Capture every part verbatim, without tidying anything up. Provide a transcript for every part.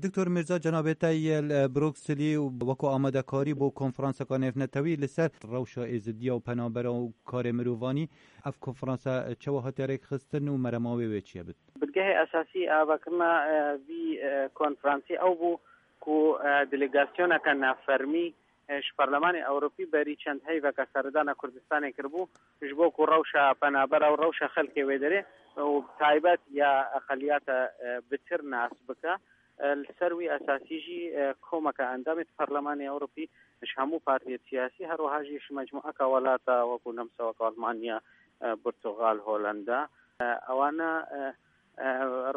Doktor Mirza, cenabê te yê li Brukselî û wekû amadekarî bo konferanseka nêvnetewî li ser rewşa êzidiya û penabera û karê mirovanî. Ev konferansa çawa hatiye rêkxistin û merema wê wê çi ye? Bit. Bingehê esasî avakirina, e, vî, e, konferansê ew bû ku, e, delegasyoneke navfermî, e, ji Parlemanê Ewropî berî çend heyveke seredana Kurdistanê kiribû, ji bo ku rewşa penabera û rewşa xelkê wê derê û bi taybet ya eqeliyata, e, bitir nas bike. E, li ser wî esasî jî, e, komeke endamê di Parlemanê Ewropî ji hemû partiyê siyasî, her wiha jî ji mecmueka welata wekû nemseweka Almanya, e, Portugal, Holanda, e, ewana, e, e,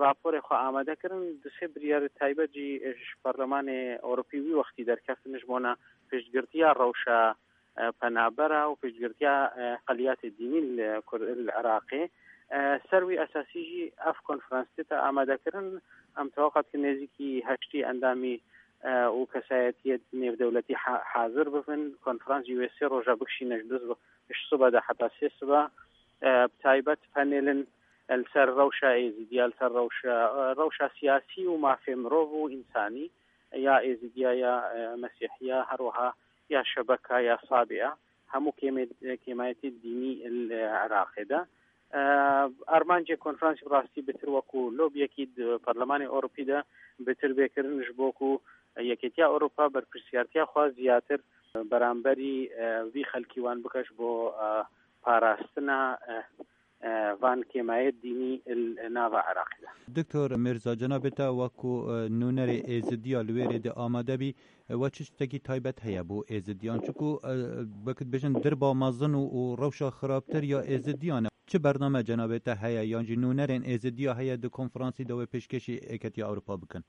raporê xwe amade kirin. Du sê biryarê taybet jî ji Parlemanê Ewropî wî wextî derkeftin ji bona piştgirtiya rewşa, e, penabera û piştgirtiya, e, qeliyatê dînî li Kur-, li Iraqê. E, ser wî esasî jî ev konferans dite amadekirin. Em tewaqa dikin nêzîkî heştî endamî, e, û kesayetiyê nêvdewletî ha-, hazir bibin. Konferans jî wê sê roja bikişîne ji du sibe, ji sibe de heta sê sibe. E, bi taybet panelin, e, li ser rewşa êzidiya, li ser rewşa, e, rewşa siyasî û mafê mirov û însanî ya êzidiya, ya, e, mesîhiya, her wiha ya şebeka, ya Sabiya, hemû kêmê-, kêmayetê dînî li Iraqê de. E, armancê konferansê bi rastî bitir wekû lobiyekî di Parlemanê Ewropî de bitir bê kirin, ji bo ku Yekêtiya Ewropa berpirsiyartiya xwe ziyatir beramberî, e, vî xelkî wan bike ji bo, e, parastina, e, e, van kêmayê dînî li nava Iraqê de. Doktor Mirza, cenabê te wekû, e, nûnerê êzidiya li wê rê de amade bî, e, we çi tiştekî taybet heye bo êzidiyan? Çiku, e, wekî dibêjin dirba mezin û, û rewşa xirabtir ya êzidiyan e. Çi bername cenabê te heye yan jî nûnerên êzidiya heye di konferansî de wê pêşkêşî Êketiya Ewropa bikin?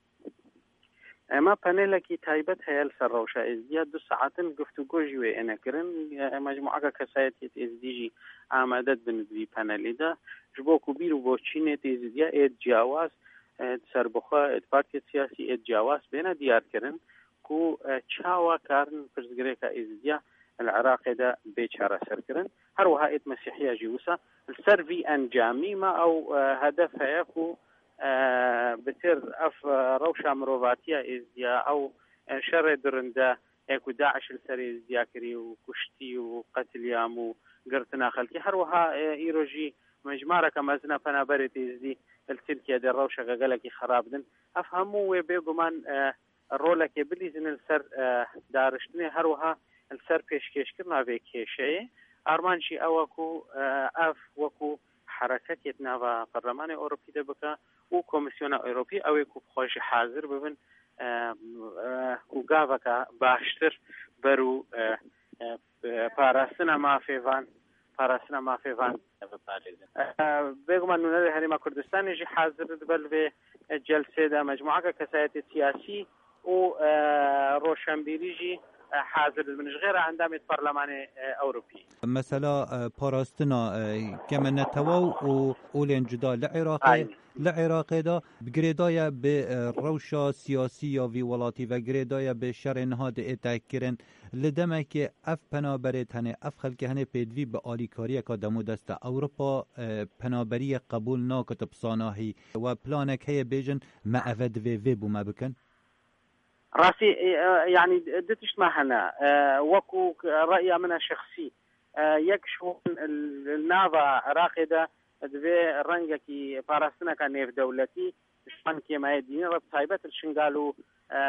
Ema panelekî taybet heye li ser rewşa êzdiya, du saetin guftûgo jî wê êne kirin. Mecmuaka kesayetiyê êzdî jî amade dibin di vî panelî de. Ji bo ku bîr û boçînê êzdiya ê ciyawaz, e, di serbixwe, ê di partiyê siyasî ê ciyawaz bêne diyar kirin ku, e, çawa karin pirsgirêka êzdiya li Iraqê de bê çareser kirin. Her wiha êd mesîhiya jî wisa. Li ser vî encamî me ew, e, hedef heye ku, e, bitir ev, e, rewşa mirovatiya êzdiya, ew, e, şerê durinde ê ku DAIŞ li ser êzdiya kirî û kuştî û qetilîam û girtina xelkê. Her wiha, e, îro jî mijmareke mezin a penaberê êzdî li Tirkiye de rewşeke gelekî xerab din. Ev hemû wê bêguman, e, rolekê bilîzin li ser, e, dariştinê, her wiha li ser pêşkêşkirina vê kêşeyê. Armanc jî ew e ku, e, ev wekû hereketê di nava Perlemanê Ewropî de bike û Komîsyona Ewropî ew ê ku bi xwe jî hazir bibin, e, e, û gaveke baştir ber û, e, e, parastina mafê van, parastina mafê van biparêzin. E, bêguman nûnerê Herêma Kurdistanê jî hazir dibe li vê, e, celsê de, mecmuaka kesayetê siyasî û, e, roşenbîrî jî, e, hazir dibin. Ji xêra endamê di Parlemanê, e, Ewropî. Mesela, e, parastina, e, keme netewa û olên cuda li Iraqê, Aynen. Li Iraqê de bi girêdaye bi, e, rewşa siyasî ya vî welatî ve girêdaye bi şerê niha diête kirin. Li demekê ev penaberê tenê, ev xelkê henê pêdivî bi alîkariyeka demodesta Ewropa, e, penaberiyê qebûl nake, tu bi zanahî. We planek heye bêjin, me eve divê vê bo me bikin? Rastî, e, e, yanî du tişt me hene. E, wekû reya min e şexsî. E, yek ji wan li nava Iraqê de divê rengekî parastineke nêvdewletî ji wan kêmayê dînî re bi taybet li Şingal û, e,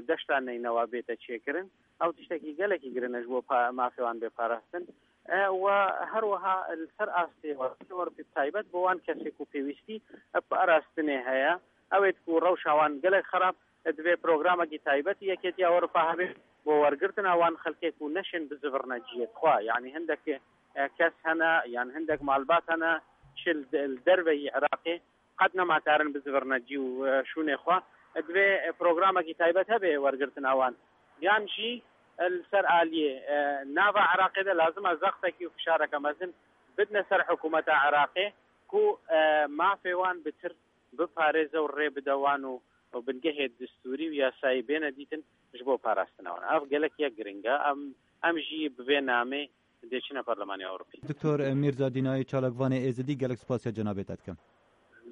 deşta Neynewa bête çêkirin. Ew tiştekî gelekî girin e ji bo pa-, mafê wan bê parastin. E, we her wiha li ser astê Ewropî bi taybet bo wan kesê ku pêwîstî bi parastinê heye, ew ê ku rewşa wan gelek xerab, divê programekî taybet Yekêtiya Ewropa hebe bo wergirtina wan xelkê ku neşên bizivirine cihê xwe. Yanî hindek, e, kes hene, yan hindek malbat hene, çi li de-, li derveyî Iraqê qet nema karin bizivirine cî û, e, şûnê xwe. Divê, e, programekî taybet hebe wergirtina wan. Yan jî, e, li ser aliyê, e, nava Iraqê de lazim e zextekî û fişareke mezin bidine ser hikûmeta Iraqê ku, e, mafê wan bitir biparêze û rê bide wan û, û bingehê distûrî û yasayî bêne dîtin ji bo parastina wan. Ev gelek yek giring e. Em, em jî bi vê namê dê çine Parlemanê Ewropî. Doktor Mîrza Dînayê, çalakvanê Êzidî, gelek spasiya cenabê te dikim.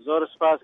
Zor spas.